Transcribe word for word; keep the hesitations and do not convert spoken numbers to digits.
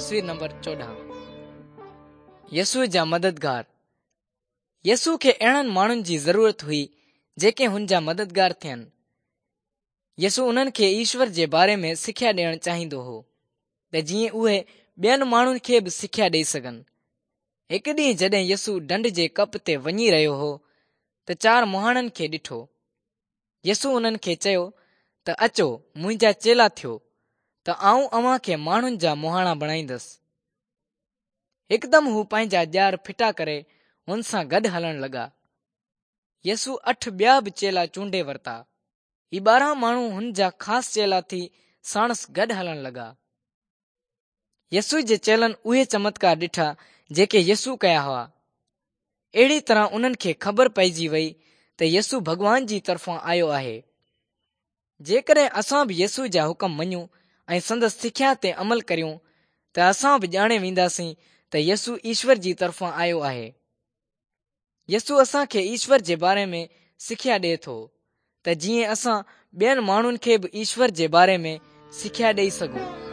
تصوير نمبر چوڏهن. يسوع جا مددگار. يسوع کي اهڙن ماڻهن جي ضرورت هئي جيڪي هن جا مددگار ٿين. يسوع انهن کي ايشور جي باري ۾ سکيا ڏيڻ چاهيندو هو ته جيئن اهي ٻين ماڻهن کي به سکيا ڏئي سگهن. هڪ ڏينهن جڏهن يسوع ڍنڍ جي ڪپ تي وڃي رهيو هو ته چار مهاڻن کي ڏٺو. يسوع انهن کي چيو ته اچو منهنجا چيلا ٿيو ته آئون اوهان کي ماڻهن جا مهاڻا بڻائيندس. هڪدم هو پنهنجا ڄار ڦٽا ڪري هن سان گڏ هلڻ لڳا. يسوع اٺ ٻيا به چيلا چونڊي ورتا. هي ٻارهن ماڻهو هن جا خاص چيلا ٿي ساڻس گڏ هلڻ لڳا. يسوع جي چيلن اهي چمتڪار ڏٺا جيڪي يسوع ڪيا هئا. اهڙي طرح انهن کي خبر پئجي وئي ته يسوع ڀڳوان جي طرفان آيو آهي. جيڪڏهن اسان به يسوع جا حڪم مڃون ۽ سندس سکيا تي عمل ڪريون ته اسان به ڄاڻي وينداسين ته يسوع ايشور جي طرفان آيو آهي. يسوع اسان کي ايشور جي باري ۾ سکيا ڏئي ٿو ته جيئن اسان ٻين ماڻهن کي به ايشور جي باري ۾ سکيا ڏئي سگهون.